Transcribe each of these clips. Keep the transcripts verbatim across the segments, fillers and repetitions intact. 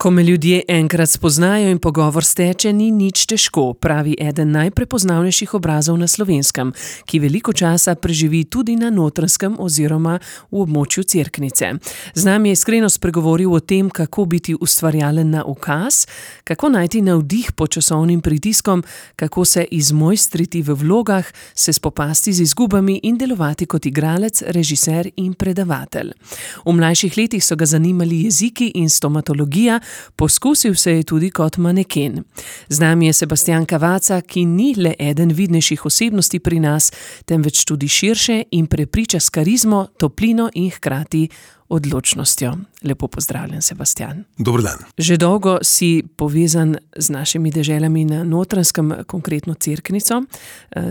Ko me ljudje enkrat spoznajo in pogovor steče, ni nič težko, pravi eden najprepoznavnejših obrazov na Slovenskem, ki veliko časa preživi tudi na Notranjskem oziroma v območju Cerknice. Z nami je iskreno spregovoril o tem, kako biti ustvarjalen na ukaz, kako najti navdih pod časovnim pritiskom, kako se izmojstriti v vlogah, se spopasti z izgubami in delovati kot igralec, režiser in predavatelj. V mlajših letih so ga zanimali jeziki in stomatologija, poskusil se je tudi kot maneken. Z nami je Sebastijan Cavazza, ki ni le eden vidnejših osebnosti pri nas, temveč tudi širše in prepriča s karizmo, toplino in hkrati odločnostjo. Lepo pozdravljen, Sebastijan. Dober dan. Že dolgo si povezan z našimi deželami na Notranjskem, konkretno Cerknico.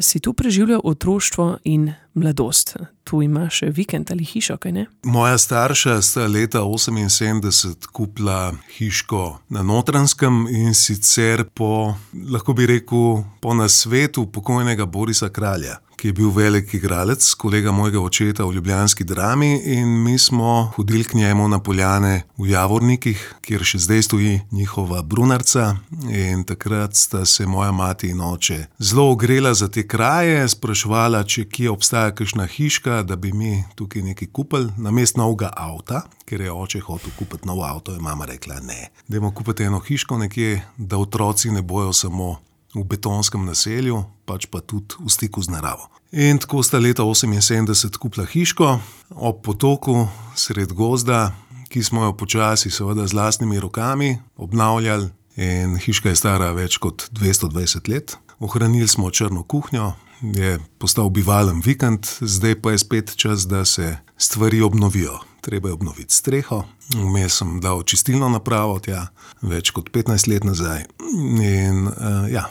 Si tu preživljal otroštvo in mladost. Tu imaš vikend ali hišo, kaj ne? Moja starša sta leta oseminsedemdeset kupila hiško na Notranjskem in sicer po, lahko bi rekel, po nasvetu pokojnega Borisa Kralja, ki je bil velik igralec, kolega mojega očeta v ljubljanski Drami, in mi smo hodili k njemu na poljane v Javornikih, kjer še zdaj stoji njihova brunarca, in takrat sta se moja mati in oče zelo ogrela za te kraje, spraševala, če kje obstaja kakšna hiška, da bi mi tukaj nekaj kupili, namesto novega avta, ker je oče hotel kupiti nov avto, in mama rekla ne. Dajmo kupiti eno hiško nekje, da otroci ne bojo samo v betonskem naselju, pač pa tudi v stiku z naravo. In tako sta leta oseminsedemdeset kupila hiško ob potoku sred gozda, ki smo jo počasi, seveda z lastnimi rokami obnavljali, in hiška je stara več kot dvesto dvajset let. Ohranili smo črno kuhnjo, je postal bivalen vikend, zdaj pa je spet čas, da se stvari obnovijo. Treba je obnoviti streho, vmes sem dal čistilno napravo tja, več kot petnajst let nazaj, in uh, ja.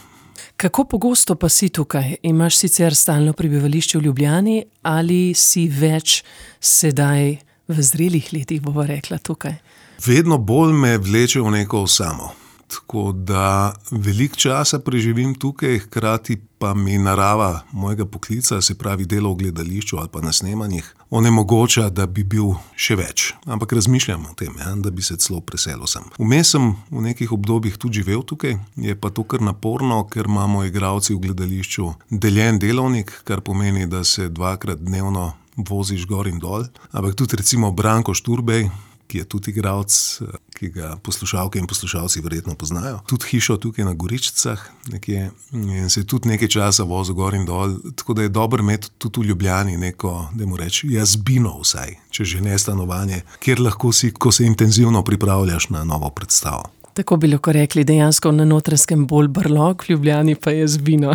Kako pogosto pa si tukaj? Imaš sicer stalno prebivališče v Ljubljani ali si več sedaj v zrelih letih, bova rekla, tukaj? Vedno bolj me vleče v neko osamo. Tako da veliko časa preživim tukaj, hkrati pa mi narava mojega poklica, se pravi delo v gledališču ali pa na snemanjih, onemogoča, da bi bil še več. Ampak razmišljam o tem, ja, da bi se celo preselil sem. Vmes sem v nekih obdobjih tudi živel tukaj, je pa to kar naporno, ker imamo igralci v gledališču deljen delovnik, kar pomeni, da se dvakrat dnevno voziš gor in dol. Ampak tudi recimo Branko Šturbej, ki je tudi igralec, ki ga poslušalke in poslušalci verjetno poznajo. Tudi hišo tukaj na Goričicah nekje, in se tudi nekaj časa vozil gor in dol, tako da je dobro imeti tudi v Ljubljani neko, dajmo reči, jazbino vsaj, če že ne stanovanje, kjer lahko si, ko se intenzivno pripravljaš na novo predstavo. Tako bi lahko rekli, dejansko na Notranjskem bolj brlog, v Ljubljani pa je zbino.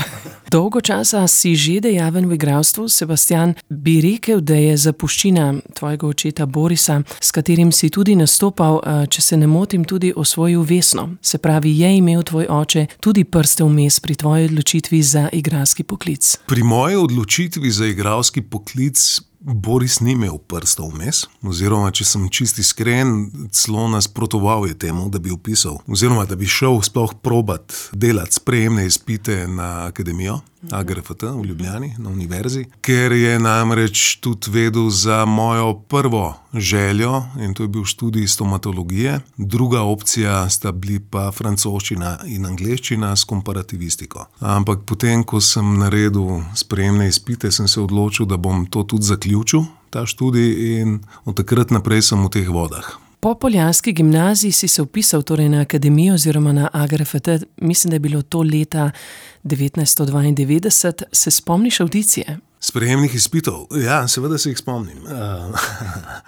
Dolgo časa si že dejaven v igralstvu, Sebastijan, bi rekel, da je zapuščina tvojega očeta Borisa, s katerim si tudi nastopal, če se ne motim, tudi osvojil Vesno. Se pravi, je imel tvoj oče tudi prste vmes pri tvoji odločitvi za igralski poklic? Pri moji odločitvi za igralski poklic Boris ni imel prstov vmes, oziroma, če sem čisti iskren, celo nasprotoval je temu, da bi vpisal, oziroma, da bi šel sploh probat delati sprejemne izpite na akademijo, A G R F T v Ljubljani, na univerzi, ker je namreč tudi vedel za mojo prvo željo, in to je bil študij stomatologije. Druga opcija sta bili pa francoščina in angleščina s komparativistiko. Ampak potem, ko sem naredil sprejemne izpite, sem se odločil, da bom to tudi zaključil, ta študij, in od takrat naprej sem v teh vodah. Po poljanski gimnaziji si se vpisal torej na akademijo oziroma na A G R F T, mislim, da je bilo to leta devetnajststo dvaindevetdeset. Se spomniš avdicije? Sprejemnih izpitov? Ja, seveda se jih spomnim.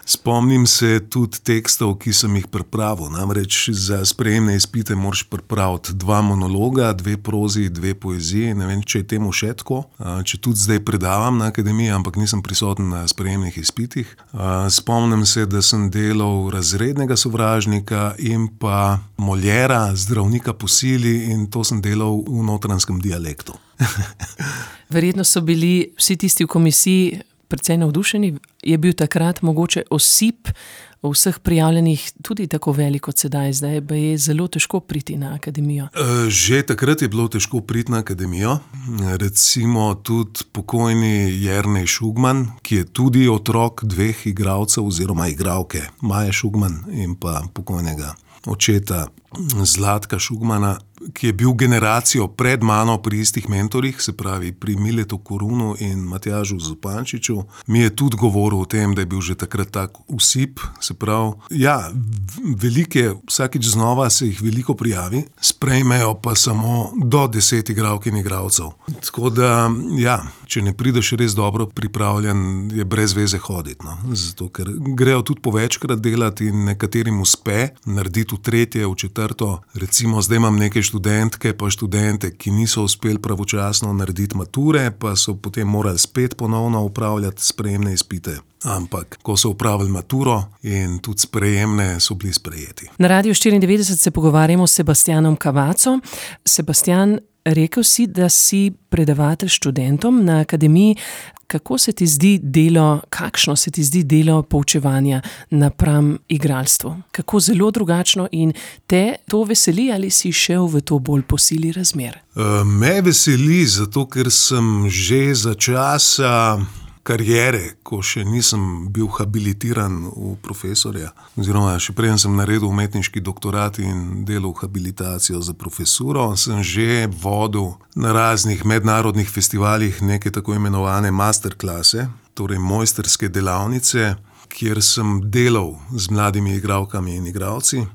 Spomnim se tudi tekstov, ki sem jih pripravil. Namreč za sprejemne izpite moraš pripraviti dva monologa, dve prozi, dve poeziji. Ne vem, če je temu še tako. Če tudi zdaj predavam na akademiji, ampak nisem prisoten na sprejemnih izpitih. Spomnim se, da sem delal razrednega sovražnika in pa Moljera, zdravnika po sili, in to sem delal v notranjskem dialektu. Verjetno so bili vsi tisti v komisiji precej navdušeni. Je bil takrat mogoče osip vseh prijavljenih tudi tako velik kot sedaj? Zdaj pa je zelo težko priti na akademijo. Že takrat je bilo težko priti na akademijo. Recimo tudi pokojni Jernej Šugman, ki je tudi otrok dveh igralcev oziroma igralke, Maje Šugman in pa pokojnega očeta Zlatka Šugmana, ki je bil generacijo pred mano pri istih mentorjih, se pravi pri Miletu Korunu in Matjažu Zupančiču, mi je tudi govoril o tem, da je bil že takrat tak usip, se pravi, ja, velike, vsakič znova se jih veliko prijavi, sprejmejo pa samo do deset igralk in igralcev. Tako da, ja, če ne prideš res dobro pripravljen, je brez veze hoditi, no. Zato, ker grejo tudi po večkrat delati in nekaterim uspe narediti v tretje, v četrto, recimo zdaj imam nekaj študentke pa študente, ki niso uspeli pravočasno narediti mature, pa so potem morali spet ponovno upravljati sprejemne izpite. Ampak, ko so upravili maturo in tudi sprejemne, so bili sprejeti. Na Radiu štiriindevetdeset se pogovarjamo s Sebastianom Cavazzo. Sebastian, rekel si, da si predavatelj študentom na akademiji. Kako se ti zdi delo, kakšno se ti zdi delo poučevanja napram igralstvu? Kako zelo drugačno in te to veseli ali si šel v to bolj po sili razmer? Me veseli, zato ker sem že za časa kariere, ko še nisem bil habilitiran v profesorja, oziroma še preden sem naredil umetniški doktorat in delal habilitacijo za profesuro, sem že vodil na raznih mednarodnih festivalih neke tako imenovane masterklase, torej mojsterske delavnice, kjer sem delal z mladimi igralkami in igralci.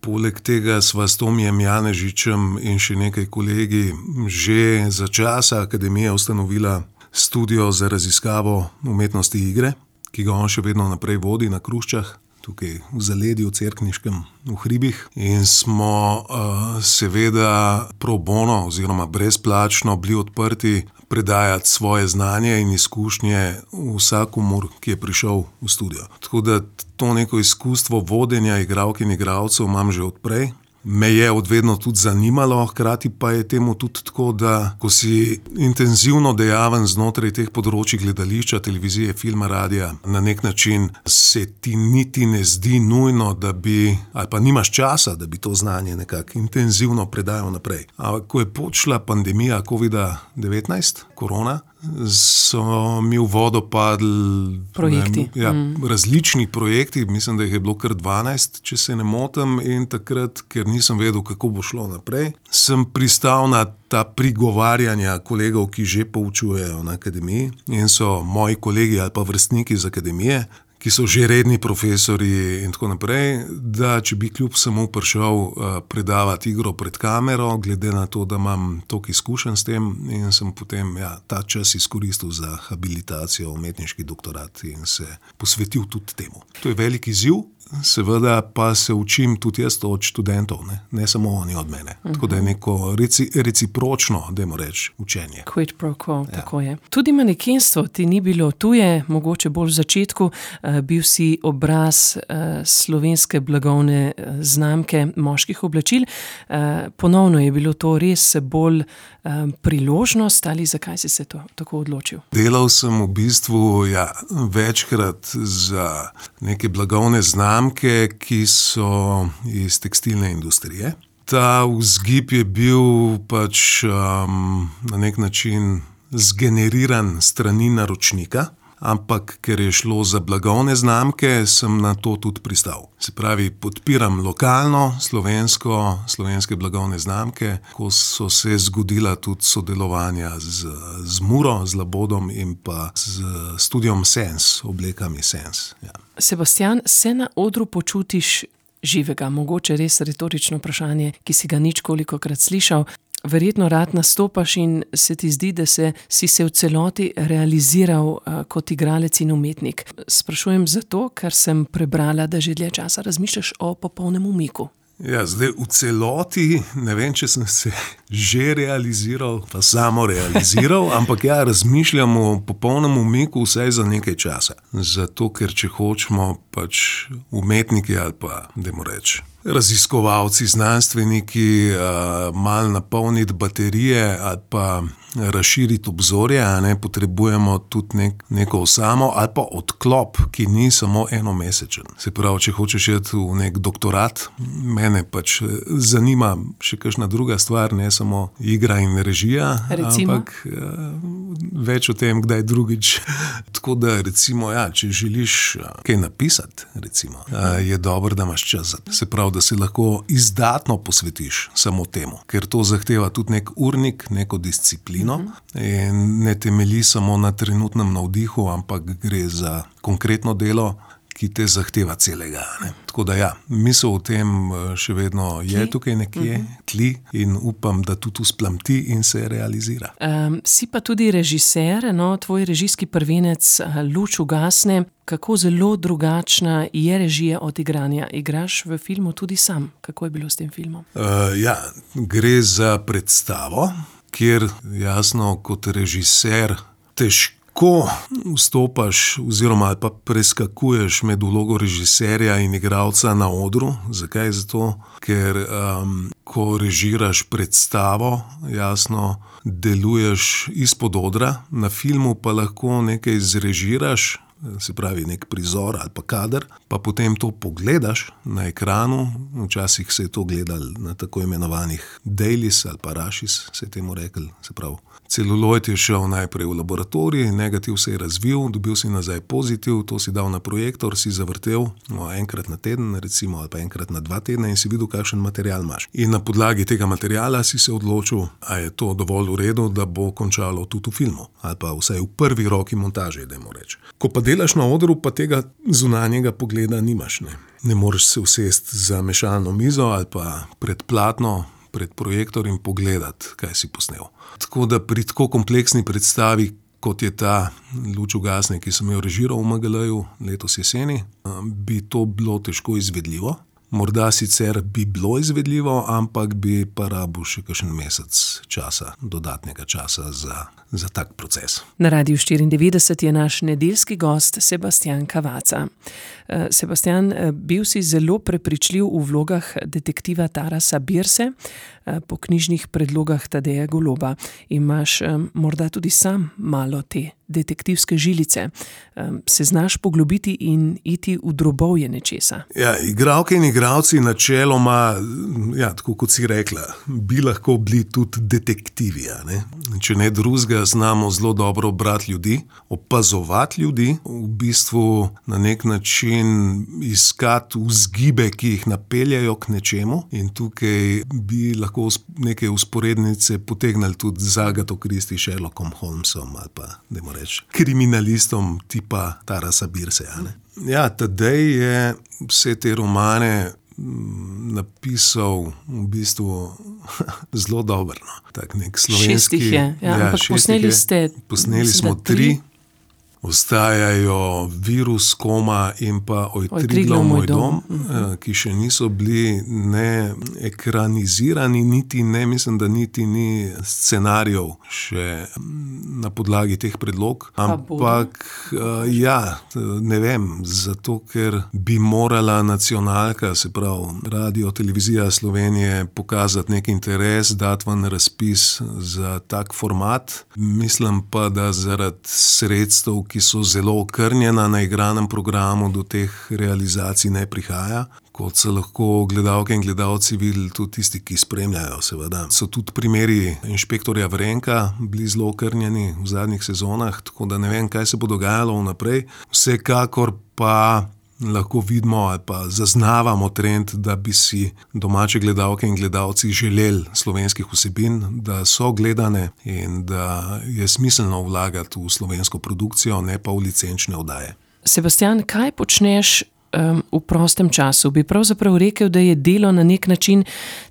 Poleg tega sva s Tomijem Janežičem in še nekaj kolegi že za časa akademije ustanovila studio za raziskavo umetnosti igre, ki ga on še vedno naprej vodi na Kruščah, tukaj v Zaledju, Cerkniškem, v hribih. In smo uh, seveda pro bono oziroma brezplačno bili odprti predajati svoje znanje in izkušnje vsakomur, ki je prišel v studio. Tako da to neko izkustvo vodenja igralk in igralcev imam že odprej. Me je odvedno tudi zanimalo, hkrati pa je temu tudi tako, da ko si intenzivno dejaven znotraj teh področij gledališča, televizije, filma, radia, na nek način se ti niti ne zdi nujno, da bi, ali pa nimaš časa, da bi to znanje nekako intenzivno predajal naprej. Ampak ko je počela pandemija kovida devetnajst, korona, so mi v vodo padli projekti. Ne, ja, mm. različni projekti, mislim, da jih je bilo kar dvanajst, če se ne motim, in takrat, ker nisem vedel, kako bo šlo naprej, sem pristal na ta prigovarjanja kolegov, ki že poučujejo na akademiji in so moji kolegi ali pa vrstniki z akademije, ki so že redni profesori in tako naprej, da če bi kljub samo prišel uh, predavati igro pred kamero, glede na to, da imam toliko izkušenj s tem, in sem potem ja, ta čas izkoristil za habilitacijo, umetniški doktorat in se posvetil tudi temu. To je velik izziv, seveda pa se učim tudi jaz od študentov, ne, ne samo oni od mene. Uh-huh. Tako da je neko reci, recipročno, dajmo reči, učenje. Quid pro quo, ja. Tako je. Tudi manekenstvo ti ni bilo tuje, mogoče bolj v začetku, uh, bil si obraz uh, slovenske blagovne uh, znamke moških oblačil. Uh, ponovno je bilo to res bolj uh, priložnost ali zakaj si se to tako odločil? Delal sem v bistvu ja, večkrat za neke blagovne znamke, ki so iz tekstilne industrije. Ta vzgib je bil pač um, na nek način zgeneriran strani naročnika, ampak ker je šlo za blagovne znamke, sem na to tudi pristal. Se pravi, podpiram lokalno, slovensko, slovenske blagovne znamke, ko so se zgodila tudi sodelovanja z, z Muro, z Labodom in pa z studiom Sens, oblekami Sens. Ja. Sebastian, se na odru počutiš živega? Mogoče res retorično vprašanje, ki si ga nič kolikokrat slišal. Verjetno rad nastopaš in se ti zdi, da se, si se v celoti realiziral uh, kot igralec in umetnik. Sprašujem zato, ker sem prebrala, da že dlje časa razmišljaš o popolnem umiku. Ja, zdaj v celoti, ne vem, če sem se že realiziral, pa samo realiziral, ampak ja, razmišljam o popolnem umiku vsaj za nekaj časa. Zato, ker če hočemo pač umetniki ali pa, dajmo reči, raziskovalci, znanstveniki, malo napolniti baterije ali pa razširiti obzorje, a ne, potrebujemo tudi nek, neko osamo ali pa odklop, ki ni samo enomesečen. Se pravi, če hočeš iti v nek doktorat, mene pač zanima še kakšna druga stvar, ne samo igra in režija, recimo? Ampak več o tem, kdaj drugič. Tako da recimo, ja, če želiš kaj napisati, recimo, je dobro, da imaš čas. Se pravi, da se lahko izdatno posvetiš samo temu, ker to zahteva tudi nek urnik, neko disciplino in ne temelji samo na trenutnem navdihu, ampak gre za konkretno delo, ki te zahteva celega. Ne? Tako da ja, misel o tem še vedno je tukaj nekje, tli in upam, da tudi usplamti in se realizira. Um, si pa tudi režiser, no, tvoj režijski prvenec Luč ugasne. Kako zelo drugačna je režija od igranja? Igraš v filmu tudi sam. Kako je bilo s tem filmom? Uh, ja, gre za predstavo, kjer jasno kot režiser težko Ko vstopaš oziroma pa preskakuješ med vlogo režiserja in igralca na odru. Zakaj? Zato, ker um, ko režiraš predstavo, jasno deluješ izpod odra, na filmu pa lahko nekaj zrežiraš, se pravi nek prizor ali pa kader, pa potem to pogledaš na ekranu. Včasih se je to gledalo na tako imenovanih dailies ali pa rashis, se je temu rekli, se pravi. Celuloid je šel najprej v laboratorij, negativ se je razvil, dobil si nazaj pozitiv, to si dal na projektor, si zavrtel no, enkrat na teden, recimo, ali pa enkrat na dva tedna in si videl, kakšen material imaš. In na podlagi tega materiala si se odločil, a je to dovolj v redu, da bo končalo tudi v filmu, ali pa vsaj v prvi roki montaže, dajmo reči. Ko pa delaš na odru, pa tega zunanjega pogleda nimaš. Ne, ne moreš se usesti za mešalno mizo ali pa pred platno, pred projektor in pogledati, kaj si posnel. Tako da pri tako kompleksni predstavi, kot je ta Luč ugasne, ki sem jo režiral v M G L-ju letos jeseni, bi to bilo težko izvedljivo. Morda sicer bi bilo izvedljivo, ampak bi pa rabil še kakšen mesec časa, dodatnega časa za, za tak proces. Na Radiu štiriindevetdeset je naš nedeljski gost Sebastijan Cavazza. Sebastijan, bil si zelo prepričljiv v vlogah detektiva Tarasa Birse, po knjižnih predlogah Tadeja Goloba. Imaš morda tudi sam malo te detektivske žilice. Se znaš poglobiti in iti v drobovje nečesa? Ja, igralke in igralci načeloma, ja, tako kot si rekla, bi lahko bili tudi detektivi. Ne? Če ne drugega, znamo zelo dobro brati ljudi, opazovati ljudi, v bistvu na nek način iskati vzgibe, ki jih napeljajo k nečemu, in tukaj bi lahko neke usporednice potegnali tudi z Agato Christie, Sherlockom Holmesom ali pa, dajmo reči, kriminalistom tipa Tarasa Birse. Ja, Tadej je vse te romane napisal v bistvu zelo dobro. No. Tak nek slovenski. Šestih je, ja, ja, ampak posneli ste. Posneli smo tri. Ostajajo Virus, Koma in pa Oj, Triglav, moj dom, dom, ki še niso bili ne ekranizirani, niti ne, mislim, da niti ni scenarijev še na podlagi teh predlog. Ampak, ja, ne vem, zato, ker bi morala nacionalka, se pravi Radio Televizija Slovenije, pokazati nek interes, dati ven razpis za tak format. Mislim pa, da zaradi sredstev, ki so zelo okrnjena na igranem programu, do teh realizacij ne prihaja. Kot so lahko gledalke in gledalci videli, tudi tisti, ki spremljajo, seveda. So tudi primeri inšpektorja Vrenka bili zelo okrnjeni v zadnjih sezonah, tako da ne vem, kaj se bo dogajalo vnaprej. Vsekakor pa lahko vidimo ali pa zaznavamo trend, da bi si domače gledalke in gledalci želeli slovenskih vsebin, da so gledane in da je smiselno vlagati v slovensko produkcijo, ne pa v licenčne oddaje. Sebastijan, kaj počneš um, v prostem času? Bi pravzaprav rekel, da je delo na nek način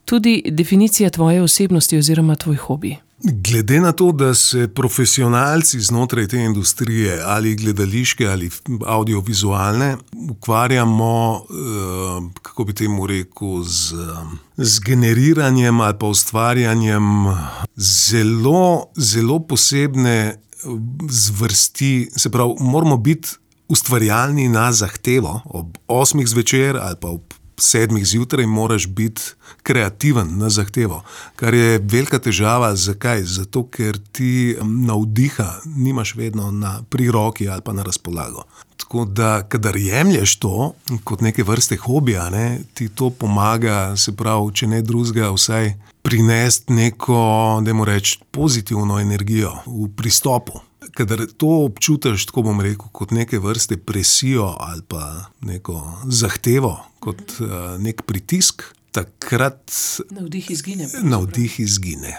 tudi definicija tvoje osebnosti oziroma tvoj hobi? Glede na to, da se profesionalci znotraj te industrije, ali gledališke ali audiovizualne, ukvarjamo, kako bi temu rekel, z, z generiranjem ali pa ustvarjanjem zelo, zelo posebne zvrsti, se pravi, moramo biti ustvarjalni na zahtevo. Ob osmih zvečer ali pa ob sedmih zjutraj moraš biti kreativen na zahtevo, kar je velika težava. Zakaj? Zato, ker ti navdiha nimaš vedno na pri roki ali pa na razpolago. Tako da, kadar jemlješ to kot neke vrste hobija, ne, ti to pomaga, se pravi, če ne drugega, vsaj prinesti neko, dajmo reči, pozitivno energijo v pristopu. kadar to občutiš, tako bom rekel, kot neke vrste presijo ali pa neko zahtevo, kot uh, nek pritisk, takrat navdih izgine. Navdih izgine.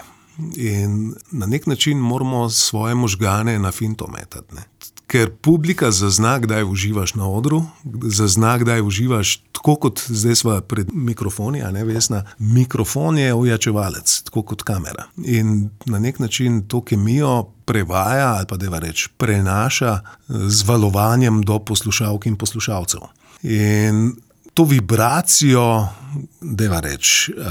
In na nek način moramo svoje možgane na finto metati, ne. Ker publika zazna, kdaj uživaš na odru, zazna, kdaj uživaš, tako kot zdaj sva pred mikrofoni, a ne, Vesna, mikrofon je ojačevalec, tako kot kamera. In na nek način to kemijo prevaja, ali pa deva reči, prenaša z valovanjem do poslušalk in poslušalcev. In to vibracijo, deva reči, uh,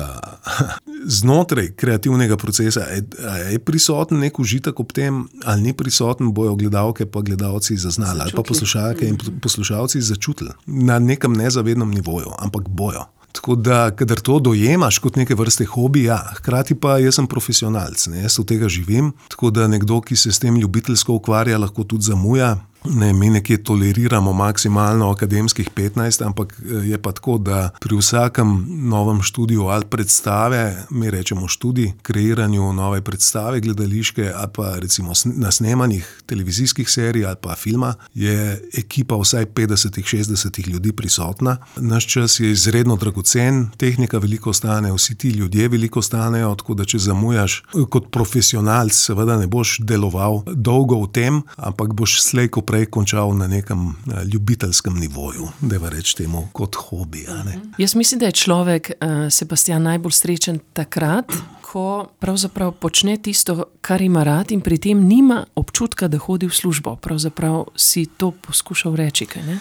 znotraj kreativnega procesa, je, je prisoten nek užitek ob tem, ali ni prisoten, bojo gledalke pa gledalci zaznali, ali pa poslušalke in poslušalci začutili na nekem nezavednem nivoju, ampak bojo. Tako da, kadar to dojemaš kot neke vrste hobi, ja, hkrati pa jaz sem profesionalc, ne, jaz od tega živim, tako da nekdo, ki se s tem ljubiteljsko ukvarja, lahko tudi zamuja. Ne, mi nekje toleriramo maksimalno akademskih petnajst, ampak je pa tako, da pri vsakem novem študiju ali predstave, mi rečemo študij, kreiranju nove predstave gledališke ali pa recimo na snemanjih televizijskih serij ali pa filma, je ekipa vsaj petdeset do šestdeset ljudi prisotna. Naš čas je izredno dragocen, tehnika veliko stane, vsi ti ljudje veliko stanejo, tako da če zamujaš kot profesionalc, seveda ne boš deloval dolgo v tem, ampak boš slej ko prej končal na nekem ljubiteljskem nivoju, dajva reči temu kot hobi. A ne? Jaz mislim, da je človek, Sebastijan, najbolj srečen takrat, ko pravzaprav počne tisto, kar ima rad in pri tem nima občutka, da hodi v službo. Pravzaprav si to poskušal reči, kaj ne?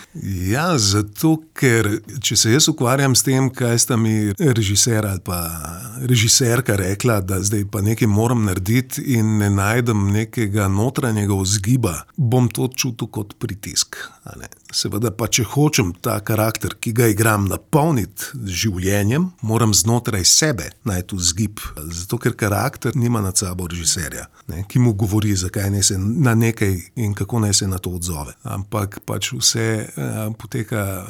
Ja, zato, ker če se jaz ukvarjam s tem, kaj sta mi režiser ali pa režiserka rekla, da zdaj pa nekaj moram narediti in ne najdem nekega notranjega vzgiba, bom to čutil kot pritisk. A ne? Seveda pa, če hočem ta karakter, ki ga igram, napolniti z življenjem, moram znotraj sebe najti vzgib. Zato, ker karakter nima nad sabo režiserja, ne, ki mu govori, zakaj naj se na nekaj in kako naj se na to odzove. Ampak pač vse a, poteka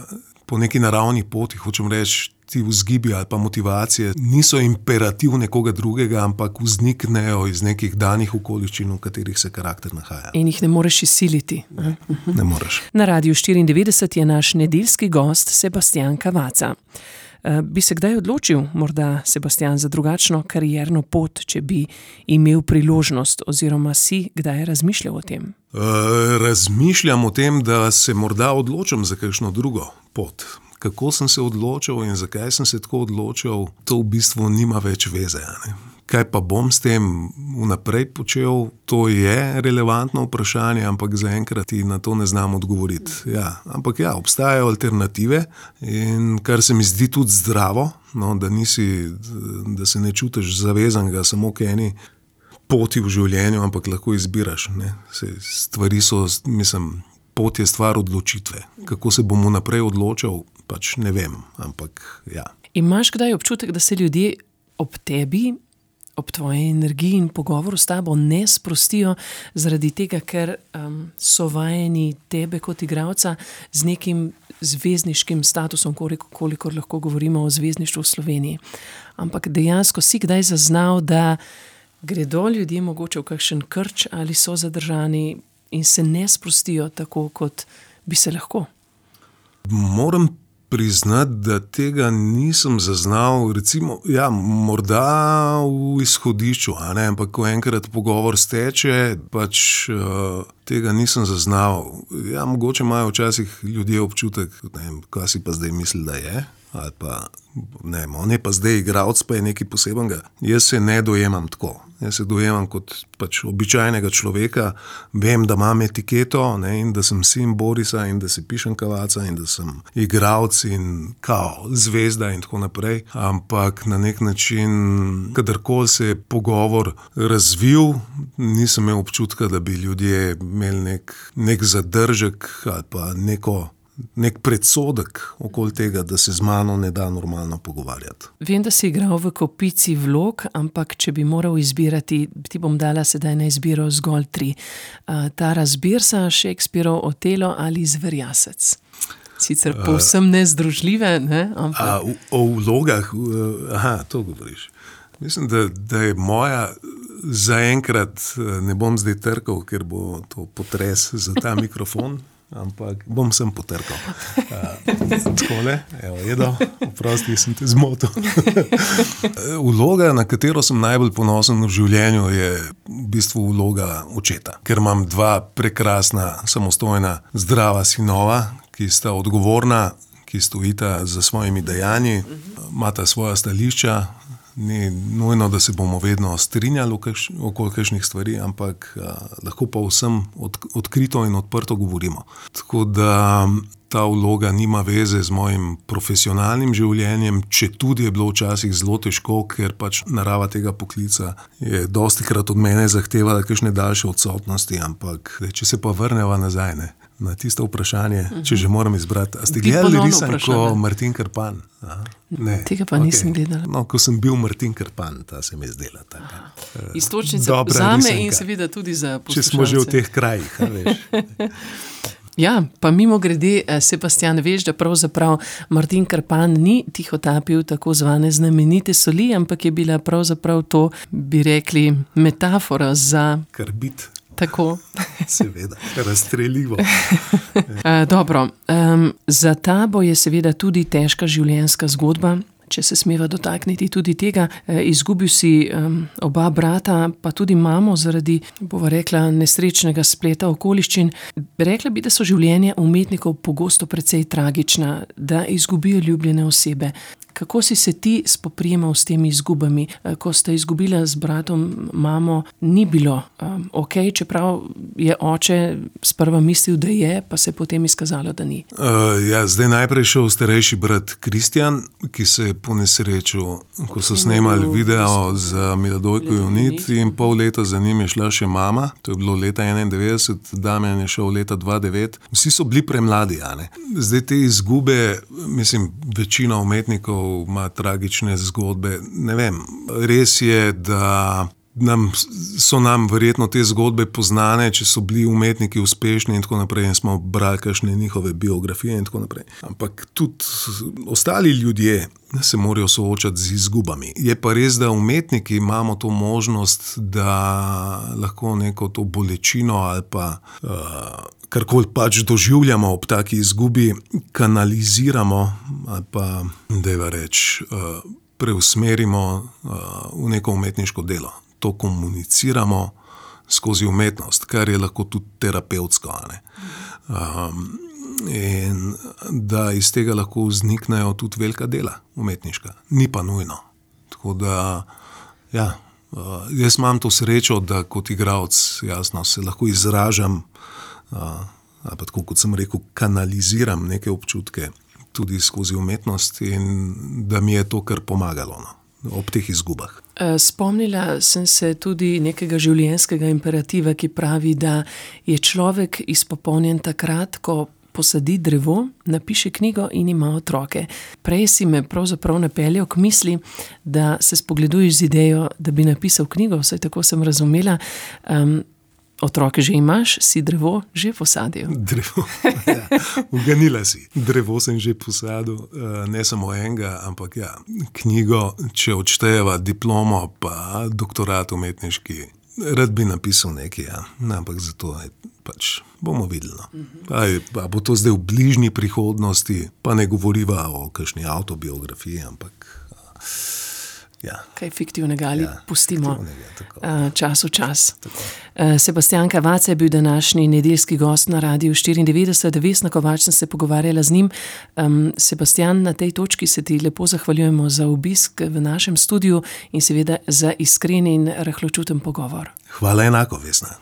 po neki naravni poti, hočem reči, ti vzgibi ali pa motivacije niso imperativ nekoga drugega, ampak vzniknejo iz nekih danih okoliščin, v katerih se karakter nahaja. In jih ne moreš izsiliti. Ne moreš. Na Radiu štiriindevetdeset je naš nedeljski gost Sebastijan Cavazza. Bi se kdaj odločil, morda, Sebastijan, za drugačno karierno pot, če bi imel priložnost, oziroma si kdaj razmišljal o tem? Uh, razmišljam o tem, da se morda odločim za kakšno drugo pot. Kako sem se odločil in zakaj sem se tako odločil, to v bistvu nima več veze. Ne? Kaj pa bom s tem vnaprej počel, to je relevantno vprašanje, ampak zaenkrat ti na to ne znam odgovoriti. Ja, ampak ja, obstajajo alternative in kar se mi zdi tudi zdravo, no, da nisi, da se ne čutiš zavezanega samo k eni poti v življenju, ampak lahko izbiraš. Ne? Se, stvari so, mislim, pot je stvar odločitve. Kako se bom vnaprej odločil, pač ne vem, ampak ja. Imaš kdaj občutek, da se ljudje ob tebi, ob tvoji energiji in pogovoru s tabo ne sprostijo zaradi tega, ker um, so vajeni tebe kot igralca z nekim zvezdniškim statusom, koliko, kolikor lahko govorimo o zvezdništvu v Sloveniji. Ampak dejansko si kdaj zaznal, da gredo ljudje mogoče v kakšen krč ali so zadržani in se ne sprostijo tako, kot bi se lahko? Moram priznati, da tega nisem zaznal, recimo, ja, morda v izhodišču, a ne, ampak ko enkrat pogovor steče, pač uh, tega nisem zaznal. Ja, mogoče imajo včasih ljudje občutek, ne vem, kaj si pa zdaj misli, da je, ali pa, ne vem, on je pa zdaj igralec, pa je nekaj posebenega. Jaz se ne dojemam tako. Jaz se dojemam kot pač običajnega človeka, vem, da imam etiketo, ne, in da sem sin Borisa in da se pišem Cavazza in da sem igralec in kao, zvezda in tako naprej. Ampak na nek način, kadarkoli se je pogovor razvil, nisem imel občutka, da bi ljudje imeli nek, nek zadržek ali pa neko nek predsodek okoli tega, da se z mano ne da normalno pogovarjati. Vem, da si igral v kopici vlog, ampak če bi moral izbirati, ti bom dala sedaj na izbiro zgolj tri. Uh, Taras Birsa, Shakespearov Otelo ali Zverjasec. Sicer povsem nezdružljive, ne? Ampak... A, o, o vlogah, aha, to govoriš. Mislim, da, da je moja zaenkrat ne bom zdaj trkal, ker bo to potres za ta mikrofon, ampak bom sem potrkal. Takole, evo, Edo, oprosti, sem te zmotil. Vloga, na katero sem najbolj ponosen v življenju, je v bistvu vloga očeta. Ker imam dva prekrasna, samostojna, zdrava sinova, ki sta odgovorna, ki stojita za svojimi dejanji, imata svoja stališča. Ni nujno, da se bomo vedno strinjali okoli kakšnih stvari, ampak a, lahko pa vsem od, odkrito in odprto govorimo. Tako da ta vloga nima veze z mojim profesionalnim življenjem, četudi je bilo včasih zelo težko, ker pač narava tega poklica je dostikrat od mene zahtevala kakšne daljše odsotnosti, ampak če se pa vrneva nazaj, ne, na tisto vprašanje, uh-huh. če že moram izbrati. A ste gledali risanko Martin Krpan? Aha, ne. Tega pa okay. nisem gledala. No, ko sem bil Martin Krpan, ta se mi je zdela taka. Istočnica zame in seveda tudi za poslušalce. Če smo že v teh krajih, a veš. Ja, pa mimo grede, Sebastian, veš, da pravzaprav Martin Krpan ni tihotapil tako zvane znamenite soli, ampak je bila pravzaprav to, bi rekli, metafora za... Karbid. Tako. Seveda, razstreljivo. uh, dobro, um, za tabo je seveda tudi težka življenjska zgodba, če se smeva dotakniti tudi tega. E, izgubil si um, oba brata, pa tudi mamo zaradi, bova rekla, nesrečnega spleta okoliščin. Rekla bi, da so življenja umetnikov pogosto precej tragična, da izgubijo ljubljene osebe. Kako si se ti spoprijemal s temi izgubami? Ko sta izgubila z bratom mamo, ni bilo um, ok, čeprav je oče sprva mislil, da je, pa se je potem izkazalo, da ni. Uh, ja, zdaj najprej šel starejši brat Kristjan, ki se je ponesrečil, ko so snemali video za Miladojko Junit in pol leta za njim je šla še mama, to je bilo leta enaindevetdeset, Damjan je šel leta dva devet. Vsi so bili premladi, a ne? Zdaj te izgube, mislim, večina umetnikov ima tragične zgodbe. Ne vem, res je, da nam, so nam verjetno te zgodbe poznane, če so bili umetniki uspešni in tako naprej in smo brali kakšne njihove biografije in tako naprej. Ampak tudi ostali ljudje se morajo soočati z izgubami. Je pa res, da umetniki imamo to možnost, da lahko neko to bolečino ali pa uh, karkoli pač doživljamo ob taki izgubi, kanaliziramo ali pa, dajva reči, uh, preusmerimo uh, v neko umetniško delo. To komuniciramo skozi umetnost, kar je lahko tudi terapevtsko. Ne? Um, in da iz tega lahko vzniknejo tudi velika dela umetniška. Ni pa nujno. Tako da, ja, uh, jaz imam to srečo, da kot igralec, jasno, se lahko izražam, uh, ali pa tako, kot sem rekel, kanaliziram neke občutke tudi skozi umetnost in da mi je to kar pomagalo, no, ob teh izgubah. Spomnila sem se tudi nekega življenjskega imperativa, ki pravi, da je človek izpopolnjen takrat, ko posadi drevo, napiše knjigo in ima otroke. Prej si me pravzaprav napeljal k misli, da se spogleduješ z idejo, da bi napisal knjigo, vsaj tako sem razumela. Um, Otroke že imaš, si drevo že posadil. Drevo, ja, uganila si. Drevo sem že posadil, ne samo enega, ampak ja, knjigo, če odštejeva diplomo, pa doktorat umetniški. Rad bi napisal nekaj, ja, ampak zato je pač bomo videli. No. Aj, pa bo to zdaj v bližnji prihodnosti, pa ne govoriva o kakšni avtobiografiji, ampak... Ja. Kaj fiktivnega ali ja, pustimo fiktivnega, čas v čas. Tako. Sebastian Cavazza je bil današnji nedeljski gost na Radiu štiriindevetdeset. Vesna Kovač sem se pogovarjala z njim. Um, Sebastian, na tej točki se ti lepo zahvaljujemo za obisk v našem studiu in seveda za iskren in rahločuten pogovor. Hvala enako, Vesna.